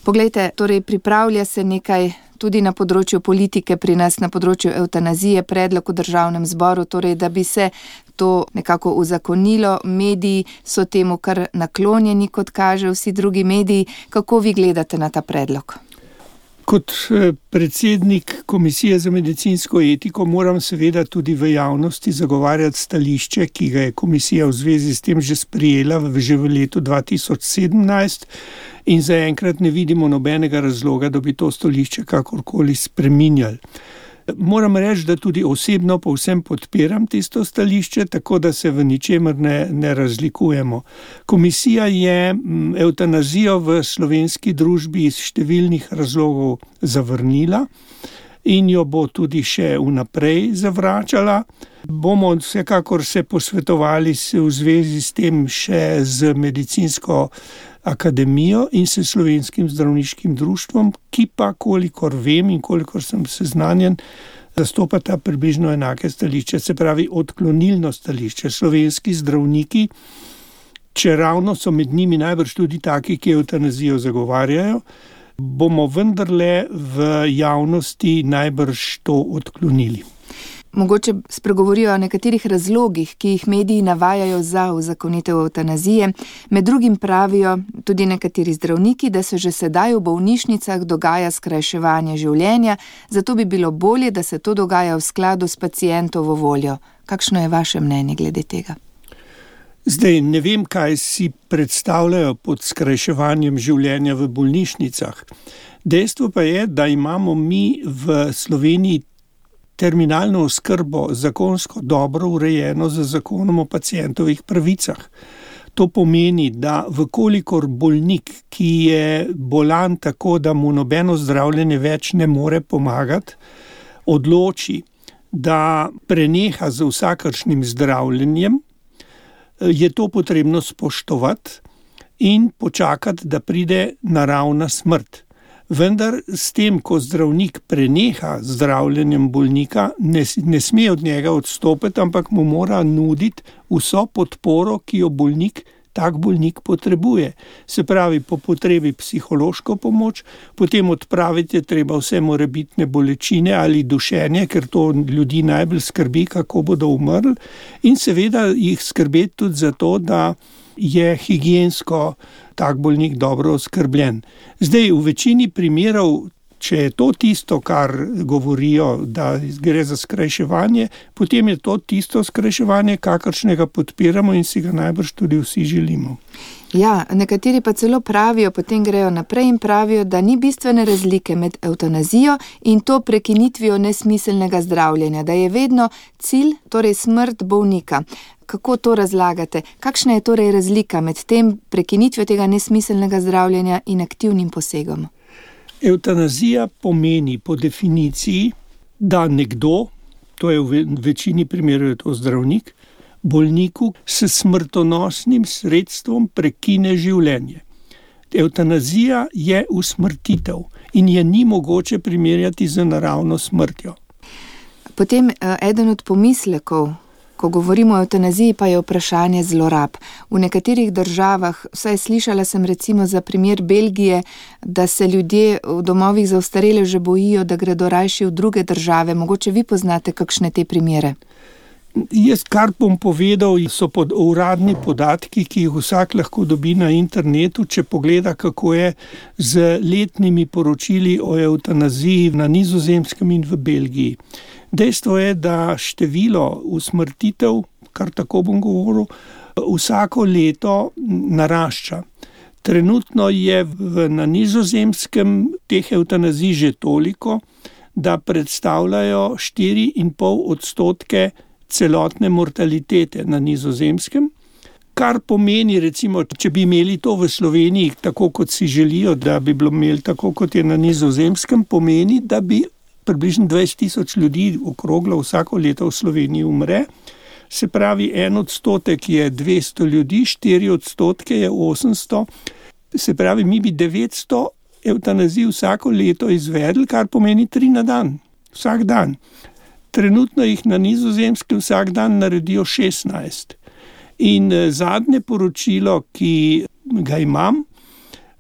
Poglejte, torej pripravlja se nekaj tudi na področju politike pri nas, na področju evtanazije, predlog v Državnem zboru, torej da bi se to nekako uzakonilo. Mediji so temu kar naklonjeni, kot kaže vsi drugi mediji. Kako vi gledate na ta predlog? Kot predsednik Komisije za medicinsko etiko moram seveda tudi v javnosti zagovarjati stališče, ki ga je komisija v zvezi s tem že sprejela že v letu 2017 in zaenkrat ne vidimo nobenega razloga, da bi to stališče kakorkoli spreminjali. Moram reči, da tudi osebno povsem podpiram tisto stališče, tako da se v ničemer ne razlikujemo. Komisija je evtanazijo v slovenski družbi iz številnih razlogov zavrnila in jo bo tudi še vnaprej zavračala. Bomo vsekakor se posvetovali v zvezi s tem še z medicinsko akademijo in s Slovenskim zdravniškim društvom, ki pa, kolikor vem in kolikor sem seznanjen, zastopata približno enake stališče, se pravi odklonilno stališče. Slovenski zdravniki, če ravno so med njimi najbrž tudi taki, ki evtanazijo zagovarjajo, bomo vendarle v javnosti najbrž to odklonili. Mogoče spregovorijo o nekaterih razlogih, ki jih mediji navajajo za uzakonitev evtanazije. Med drugim pravijo tudi nekateri zdravniki, da se že sedaj v bolnišnicah dogaja skrajševanje življenja, zato bi bilo bolje, da se to dogaja v skladu s pacientovo voljo. Kakšno je vaše mnenje glede tega? Zdaj, ne vem, kaj si predstavljajo pod skrajševanjem življenja v bolnišnicah. Dejstvo pa je, da imamo mi v Sloveniji terminalno oskrbo zakonsko dobro urejeno z zakonom o pacientovih pravicah. To pomeni, da vkolikor bolnik, ki je bolan tako, da mu nobeno zdravljenje več ne more pomagati, odloči, da preneha z vsakršnim zdravljenjem, je to potrebno spoštovati in počakati, da pride naravna smrt. Vendar s tem, ko zdravnik preneha zdravljenjem bolnika, ne sme od njega odstopiti, ampak mu mora nuditi vso podporo, ki jo tak bolnik potrebuje. Se pravi, po potrebi psihološko pomoč, potem odpraviti je treba vse morebitne bolečine ali dušenje, ker to ljudi najbolj skrbi, kako bodo umrli, in seveda jih skrbeti tudi za to, da je higiensko tak bolnik dobro oskrbljen. Zdaj, v večini primerov, če je to tisto, kar govorijo, da gre za skrajševanje, potem je to tisto skrajševanje, kakršnega podpiramo in si ga najbrž tudi vsi želimo. Ja, nekateri pa celo pravijo, potem grejo naprej in pravijo, da ni bistvene razlike med evtanazijo in to prekinitvijo nesmiselnega zdravljenja, da je vedno cilj, torej smrt bolnika. Kako to razlagate? Kakšna je torej razlika med tem prekinitvijo tega nesmiselnega zdravljenja in aktivnim posegom? Evtanazija pomeni po definiciji, da nekdo, to je v večini primerov to zdravnik, bolniku s smrtonosnim sredstvom prekine življenje. Evtanazija je usmrtitev in je ni mogoče primerjati z naravno smrtjo. Potem eden od pomislekov, ko govorimo o evtanaziji, pa je vprašanje zlorab. V nekaterih državah, vsaj slišala sem recimo za primer Belgije, da se ljudje v domovih za ostarele že bojijo, da gredo rajši v druge države. Mogoče vi poznate kakšne te primere? Jaz, kar bom povedal, so uradni podatki, ki jih vsak lahko dobi na internetu, če pogleda, kako je z letnimi poročili o evtanaziji na Nizozemskem in v Belgiji. Dejstvo je, da število usmrtitev, kar tako bom govoril, vsako leto narašča. Trenutno je na Nizozemskem teh evtanazij že toliko, da predstavljajo 4,5% celotne mortalitete na Nizozemskem, kar pomeni, recimo, če bi imeli to v Sloveniji, tako kot si želijo, da bi bilo imeli tako, kot je na Nizozemskem, pomeni, da bi približno 20,000 ljudi okroglo vsako leto v Sloveniji umre. Se pravi, 1% je 200 ljudi, 4% je 800. Se pravi, mi bi 900 evtanazij vsako leto izvedli, kar pomeni 3 na dan, vsak dan. Trenutno jih na Nizozemskem vsak dan naredijo 16. In zadnje poročilo, ki ga imam,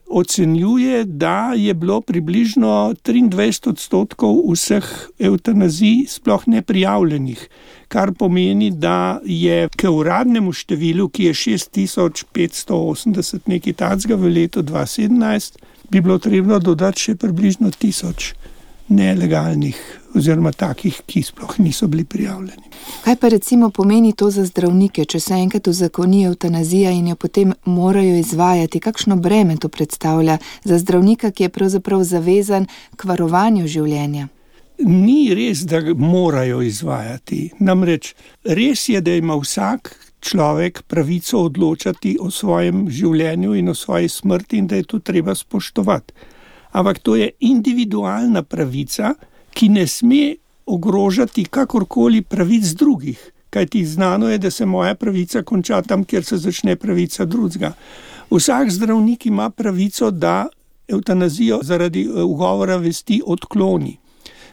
ocenjuje, da je bilo približno 23% vseh evtanazij sploh neprijavljenih, kar pomeni, da je k uradnemu številu, ki je 6580 nekaj takega v letu 2017, bi bilo treba dodati še približno 1000 nelegalnih oziroma takih, ki sploh niso bili prijavljeni. Kaj pa recimo pomeni to za zdravnike, če se enkrat uzakoni evtanazija in jo potem morajo izvajati? Kakšno breme to predstavlja za zdravnika, ki je pravzaprav zavezan k varovanju življenja? Ni res, da morajo izvajati. Namreč res je, da ima vsak človek pravico odločati o svojem življenju in o svoji smrti in da je to treba spoštovati. Ampak to je individualna pravica, ki ne sme ogrožati kakorkoli pravic drugih. Kajti znano je, da se moja pravica konča tam, kjer se začne pravica drugega. Vsak zdravnik ima pravico, da evtanazijo zaradi ugovora vesti odkloni.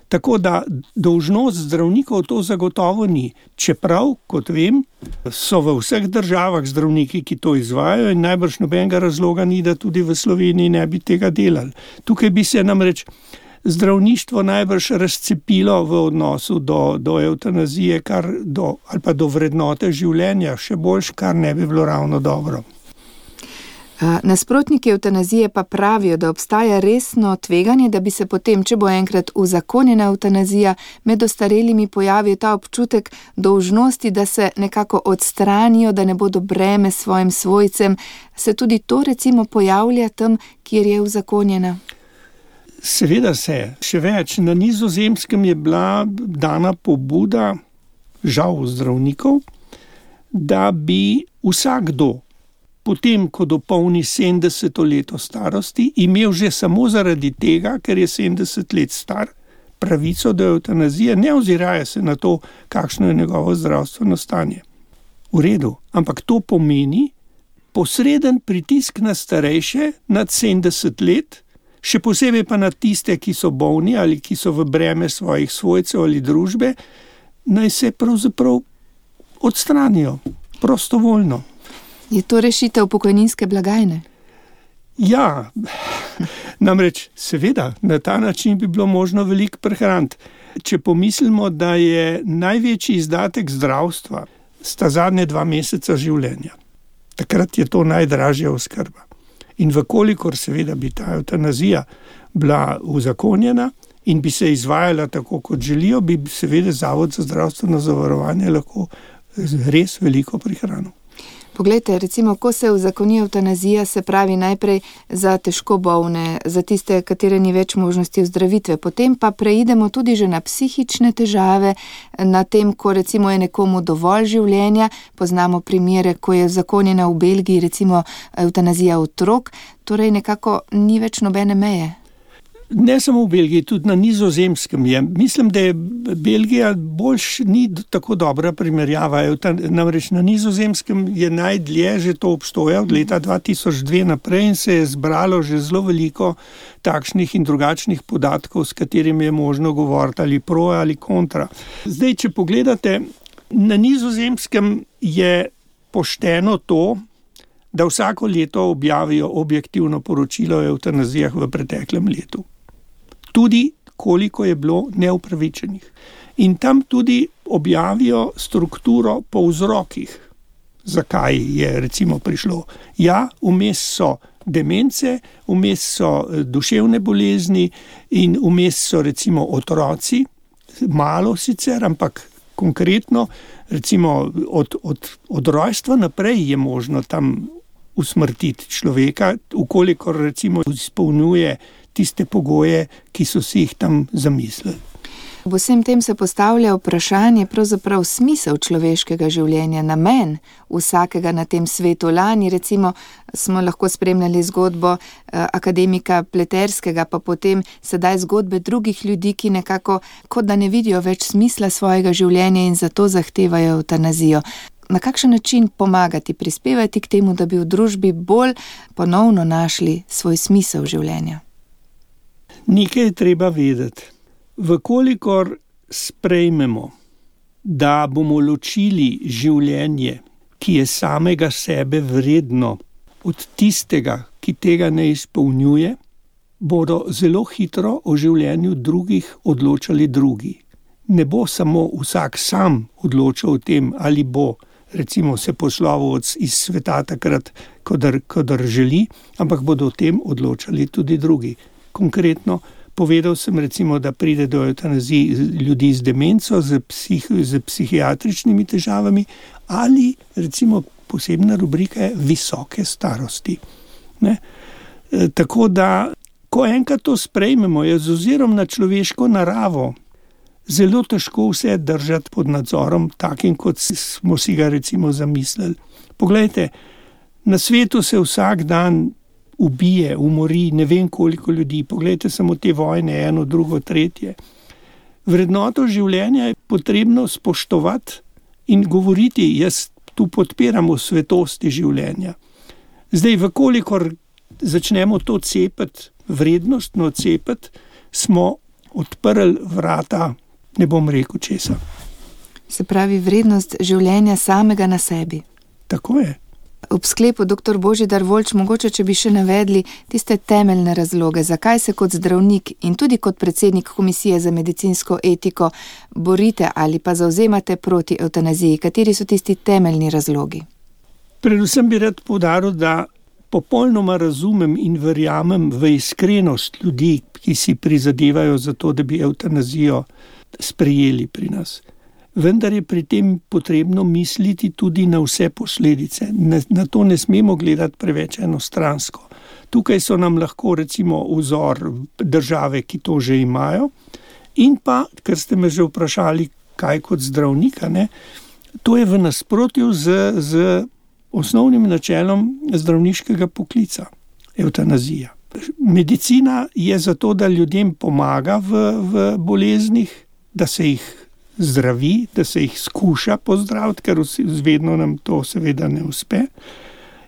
Tako da dolžnost zdravnikov to zagotovo ni. Čeprav, kot vem, so v vseh državah zdravniki, ki to izvajajo in najbrž nobenega razloga ni, da tudi v Sloveniji ne bi tega delali. Tukaj bi se namreč zdravništvo najbrž razcepilo v odnosu do evtanazije ali pa do vrednote življenja, še boljš, kar ne bi bilo ravno dobro. Nasprotniki evtanazije pa pravijo, da obstaja resno tveganje, da bi se potem, če bo enkrat uzakonjena evtanazija, med ostarelimi pojavil ta občutek dolžnosti, da se nekako odstranijo, da ne bodo breme svojim svojcem. Se tudi to recimo pojavlja tam, kjer je uzakonjena? Seveda se. Še več, na Nizozemskem je bila dana pobuda, žal zdravnikov, da bi vsakdo potem, ko dopolni 70 leto starosti, imel že samo zaradi tega, ker je 70 let star, pravico do evtanazije, ne oziraje se na to, kakšno je njegovo zdravstveno stanje. V redu, ampak to pomeni posreden pritisk na starejše nad 70 let, še posebej pa na tiste, ki so bolni ali ki so v breme svojih svojcev ali družbe, naj se pravzaprav odstranijo prostovoljno. Je to rešitev pokojninske blagajne? Ja, namreč seveda, na ta način bi bilo možno veliko prihraniti. Če pomislimo, da je največji izdatek zdravstva sta zadnje 2 meseca življenja. Takrat je to najdražja oskrba. In vkolikor seveda bi ta evtanazija bila uzakonjena in bi se izvajala tako, kot želijo, bi seveda Zavod za zdravstveno zavarovanje lahko res veliko prihranil. Poglejte, recimo, ko se uzakoni evtanazija, se pravi najprej za težko bolne, za tiste, katere ni več možnosti ozdravitve. Potem pa preidemo tudi že na psihične težave, na tem, ko recimo je nekomu dovolj življenja. Poznamo primere, ko je uzakonjena v Belgiji recimo evtanazija otrok, torej nekako ni več nobene meje. Ne samo v Belgiji, tudi na Nizozemskem je. Mislim, da je Belgija boljš ni tako dobra primerjava. Namreč na Nizozemskem je najdlje že to obstoja od leta 2002 naprej in se je zbralo že zelo veliko takšnih in drugačnih podatkov, s katerimi je možno govoriti ali pro ali kontra. Zdaj, če pogledate, na Nizozemskem je pošteno to, da vsako leto objavijo objektivno poročilo o evtanazijah v preteklem letu. Tudi koliko je bilo neupravičenih. In tam tudi objavijo strukturo po vzrokih, zakaj je recimo prišlo. Ja, vmes so demence, vmes so duševne bolezni in vmes so recimo otroci, malo sicer, ampak konkretno, recimo od rojstva naprej je možno tam usmrtiti človeka, ukolikor recimo izpolnjuje tiste pogoje, ki so si jih tam zamislili. V vsem tem se postavlja vprašanje pravzaprav smisel človeškega življenja, namen vsakega na tem svetu. Lani recimo smo lahko spremljali zgodbo akademika Pleterskega, pa potem sedaj zgodbe drugih ljudi, ki nekako kot da ne vidijo več smisla svojega življenja in zato zahtevajo evtanazijo. Na kakšen način pomagati, prispevati k temu, da bi v družbi bolj ponovno našli svoj smisel življenja? Nekaj je treba vedeti. Vkolikor sprejmemo, da bomo ločili življenje, ki je samega sebe vredno, od tistega, ki tega ne izpolnjuje, bodo zelo hitro o življenju drugih odločali drugi. Ne bo samo vsak sam odločal o tem, ali bo recimo se poslovil iz sveta takrat, kadar želi, ampak bodo o tem odločali tudi drugi. Konkretno povedal sem recimo, da pride do evtanazije ljudi z demenco, z psihiatričnimi težavami ali recimo posebna rubrika je visoke starosti. Ne? Tako da, ko enkrat to sprejmemo, je z ozirom na človeško naravo zelo težko vse držati pod nadzorom, takim, kot smo si ga recimo zamislili. Poglejte, na svetu se vsak dan ubije, umori ne vem koliko ljudi. Poglejte samo te vojne, eno, drugo, tretje. Vrednoto življenja je potrebno spoštovati in govoriti, jaz tu podpiram v svetosti življenja. Zdaj, vkolikor začnemo to cepiti, vrednostno cepiti, smo odprli vrata, ne bom rekel česa. Se pravi, vrednost življenja samega na sebi. Tako je. Ob sklepu, dr. Božidar Voljč, mogoče, če bi še navedli tiste temeljne razloge, zakaj se kot zdravnik in tudi kot predsednik Komisije za medicinsko etiko borite ali pa zavzemate proti evtanaziji. Kateri so tisti temeljni razlogi? Predvsem bi rad poudaril, da popolnoma razumem in verjamem v iskrenost ljudi, ki si prizadevajo za to, da bi evtanazijo sprejeli pri nas. Vendar je pri tem potrebno misliti tudi na vse posledice. Na to ne smemo gledati preveč enostransko. Tukaj so nam lahko recimo vzor države, ki to že imajo, in pa, ker ste me že vprašali, kaj kot zdravnika, ne, to je v nasprotju z osnovnim načelom zdravniškega poklica, evtanazija. Medicina je zato, da ljudem pomaga v boleznih, da se jih zdravi, da se jih skuša pozdraviti, ker vedno nam to seveda ne uspe.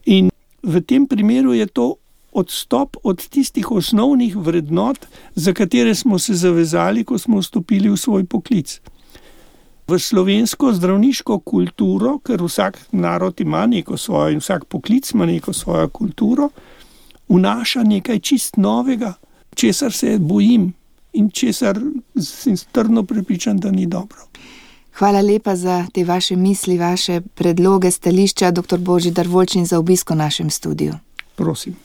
In v tem primeru je to odstop od tistih osnovnih vrednot, za katere smo se zavezali, ko smo vstopili v svoj poklic. V slovensko zdravniško kulturo, ker vsak narod ima neko svojo in vsak poklic ima neko svojo kulturo, vnaša nekaj čist novega, česar se bojim in česar sem trdno prepričan, da ni dobro. Hvala lepa za te vaše misli, vaše predloge, stališča, dr. Božidar Voljč, in za obisk v našem studiu. Prosim.